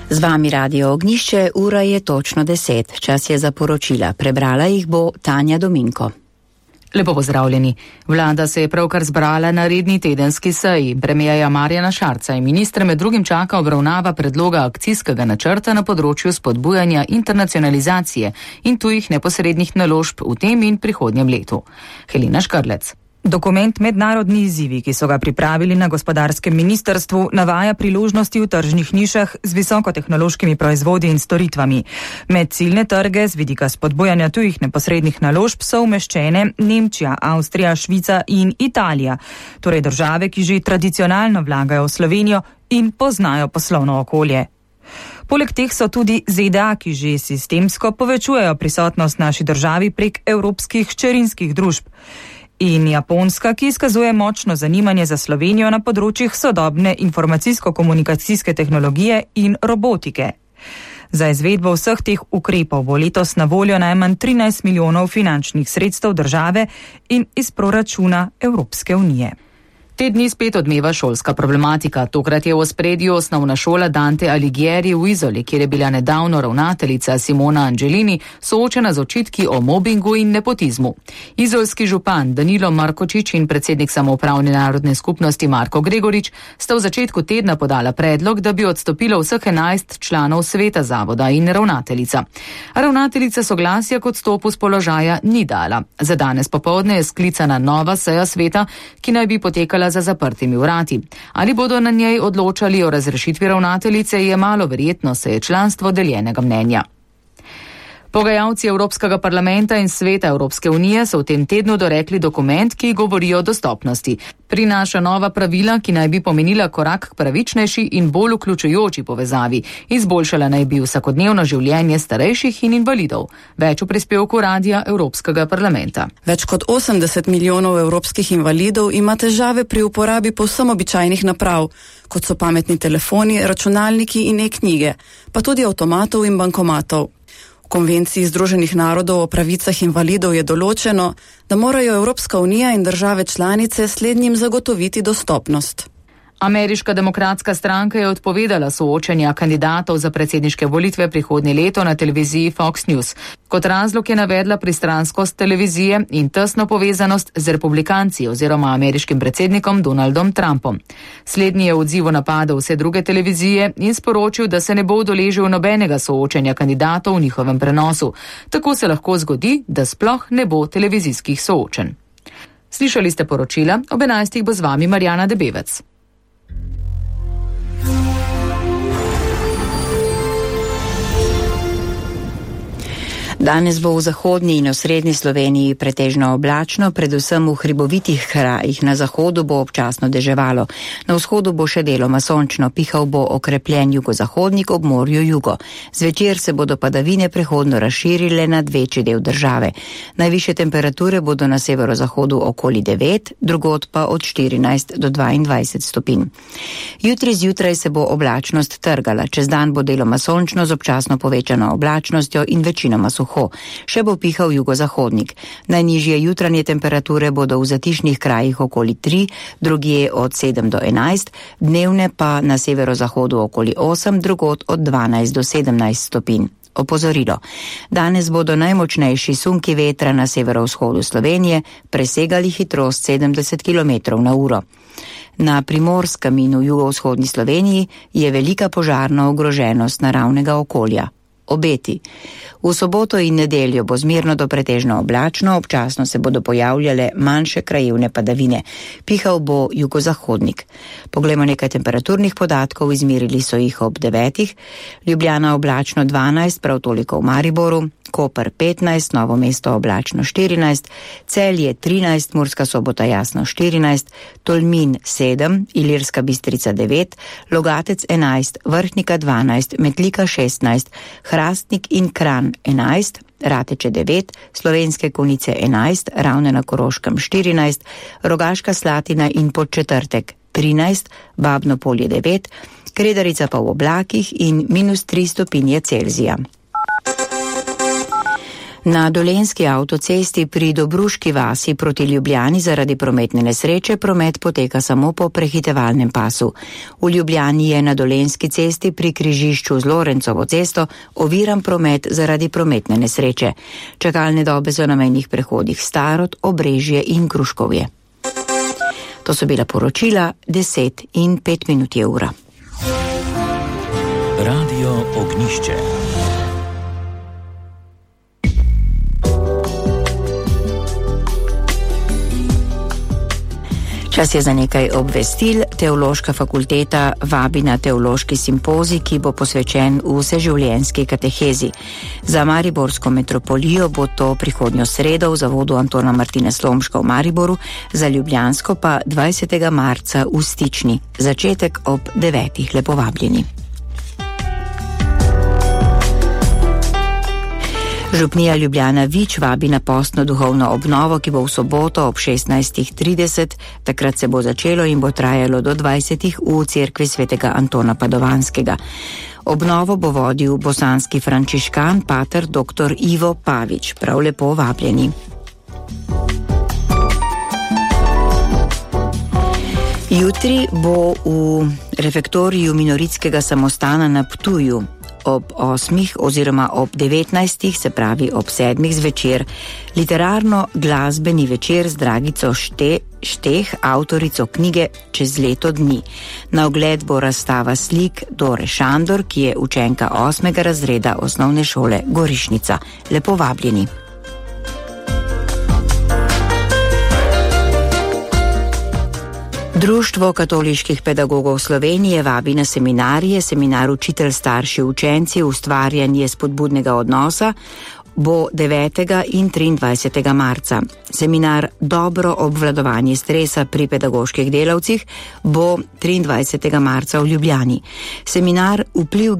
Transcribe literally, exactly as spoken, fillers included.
Z vami Radio Ognjišče, ura je točno deset. Čas je za poročila. Prebrala jih bo Tanja Dominko. Lepo pozdravljeni. Vlada se je pravkar zbrala na redni tedenski seji. Premierja Marjana Šarca in ministre med drugim čaka obravnava predloga akcijskega načrta na področju spodbujanja internacionalizacije in tujih neposrednih naložb v tem in prihodnjem letu. Helena Škrlec. Dokument Mednarodni izzivi, ki so ga pripravili na gospodarskem ministrstvu, navaja priložnosti v tržnih nišah z visokotehnološkimi proizvodi in storitvami. Med ciljne trge z vidika spodbujanja tujih neposrednih naložb so umeščene Nemčija, Avstrija, Švica in Italija, torej države, ki že tradicionalno vlagajo v Slovenijo in poznajo poslovno okolje. Poleg teh so tudi Z D A, ki že sistemsko povečujejo prisotnost naši državi prek evropskih hčerinskih družb. In Japonska, ki izkazuje močno zanimanje za Slovenijo na področjih sodobne informacijsko-komunikacijske tehnologije in robotike. Za izvedbo vseh teh ukrepov bo letos na voljo najmanj trinajst milijonov finančnih sredstev države in iz proračuna Evropske unije. Te dni spet odmeva šolska problematika. Tokrat je v ospredju osnovna šola Dante Alighieri v Izoli, kjer je bila nedavno ravnateljica Simona Angelini soočena z očitki o mobingu in nepotizmu. Izolski župan Danilo Markočič in predsednik samoupravne narodne skupnosti Marko Gregorič sta v začetku tedna podala predlog, da bi odstopilo vseh enajst članov sveta zavoda in ravnateljica. Ravnateljica soglasja k odstopu z položaja ni dala. Za danes popoldne je sklicana nova seja sveta, ki naj bi potekala za zaprtimi vrati. Ali bodo na njej odločali o razrešitvi ravnateljice, je malo verjetno, se je članstvo deljenega mnenja. Pogajalci Evropskega parlamenta in Sveta Evropske unije so v tem tednu dorekli dokument, ki govori o dostopnosti. Prinaša nova pravila, ki naj bi pomenila korak k pravičnejši in bolj vključujoči povezavi. Izboljšala naj bi vsakodnevno življenje starejših in invalidov. Več v prispevku Radia Evropskega parlamenta. Več kot osemdeset milijonov evropskih invalidov ima težave pri uporabi povsem običajnih naprav, kot so pametni telefoni, računalniki in e-knjige, pa tudi avtomatov in bankomatov. V konvenciji Združenih narodov o pravicah invalidov je določeno, da morajo Evropska unija in države članice slednjim zagotoviti dostopnost. Ameriška demokratska stranka je odpovedala soočenja kandidatov za predsedniške volitve prihodnje leto na televiziji Fox News. Kot razlog je navedla pristranskost televizije in tesno povezanost z republikanci oziroma ameriškim predsednikom Donaldom Trumpom. Slednji je v odzivu napadal vse druge televizije in sporočil, da se ne bo udeležil nobenega soočenja kandidatov v njihovem prenosu. Tako se lahko zgodi, da sploh ne bo televizijskih soočenj. Slišali ste poročila, ob enajstih bo z vami Marjana Debevec. Danes bo v zahodni in osrednji Sloveniji pretežno oblačno, predvsem v hribovitih krajih. Na zahodu bo občasno deževalo. Na vzhodu bo še deloma sončno, pihal bo okrepljen jugozahodnik, ob morju jugo. Zvečer se bodo padavine prehodno razširile nad večji del države. Najvišje temperature bodo na severozahodu okoli devet, drugod pa od štirinajst do dvaindvajset stopinj. Jutri zjutraj se bo oblačnost trgala. Čez dan bo deloma sončno z občasno povečano oblačnostjo in večinoma suho. Še bo pihal jugozahodnik. Najnižje jutranje temperature bodo v zatišnih krajih okoli tri, drugje od sedem do enajst, dnevne pa na severozahodu okoli osem, drugod od dvanajst do sedemnajst stopinj. Opozorilo. Danes bodo najmočnejši sunki vetra na severovzhodu Slovenije presegali hitrost sedemdeset kilometrov na uro. Na Primorskem in v jugovzhodni Sloveniji je velika požarna ogroženost naravnega okolja. Obeti. V soboto in nedeljo bo zmerno do pretežno oblačno, občasno se bodo pojavljale manjše krajevne padavine. Pihal bo jugozahodnik. Poglejmo nekaj temperaturnih podatkov, izmerili so jih ob devetih. Ljubljana oblačno dvanajst, prav toliko v Mariboru, Koper petnajst, Novo mesto oblačno štirinajst, Celje trinajst, Murska Sobota jasno štirinajst, Tolmin sedem, Ilirska Bistrica devet, Logatec enajst, Vrhnika dvanajst, Metlika šestnajst, Hrastnik in Kranj enajst, Rateče devet, Slovenske Konjice enajst, Ravne na Koroškem štirinajst, Rogaška Slatina in Podčetrtek trinajst, Babno Polje devet, Kredarica pa v oblakih in minus tri stopinje Celzija. Na Dolenjski avtocesti pri Dobruški vasi proti Ljubljani zaradi prometne nesreče promet poteka samo po prehitevalnem pasu. V Ljubljani je na Dolenjski cesti pri križišču z Lorencovo cesto oviran promet zaradi prometne nesreče. Čakalne dobe so na mejnih prehodih Starod, Obrežje in Gruškovje. To so bila poročila, deset in pet minut je ura. Radio Ognišče. Čas je za nekaj obvestil. Teološka fakulteta vabi na teološki simpozij, ki bo posvečen vseživljenjski katehezi. Za mariborsko metropolijo bo to prihodnjo sredo v zavodu Antona Martina Slomška v Mariboru, za ljubljansko pa dvajsetega marca v Stični. Začetek ob devetih, lepo vabljeni. Župnija Ljubljana Vič vabi na postno duhovno obnovo, ki bo v soboto ob šestnajstih trideset. Takrat se bo začelo in bo trajalo do dvajsetih v cerkvi svetega Antona Padovanskega. Obnovo bo vodil bosanski frančiškan pater dr. Ivo Pavič. Prav lepo vabljeni. Jutri bo v refektoriju minoritskega samostana na Ptuju ob osmih oziroma ob devetnajstih, se pravi ob sedmih zvečer, literarno-glasbeni večer z Dragico Šte, Šteh, avtorico knjige Čez leto dni. Na ogled bo razstava slik Dore Šandor, ki je učenka osmega razreda osnovne šole Gorišnica. Lepo vabljeni. Društvo katoliških pedagogov Slovenije vabi na seminarije, seminar Učitelj, starši, učenci, ustvarjanje spodbudnega odnosa bo devetega in triindvajsetega marca. Seminar Dobro obvladovanje stresa pri pedagoških delavcih bo triindvajsetega marca v Ljubljani. Seminar Vpliv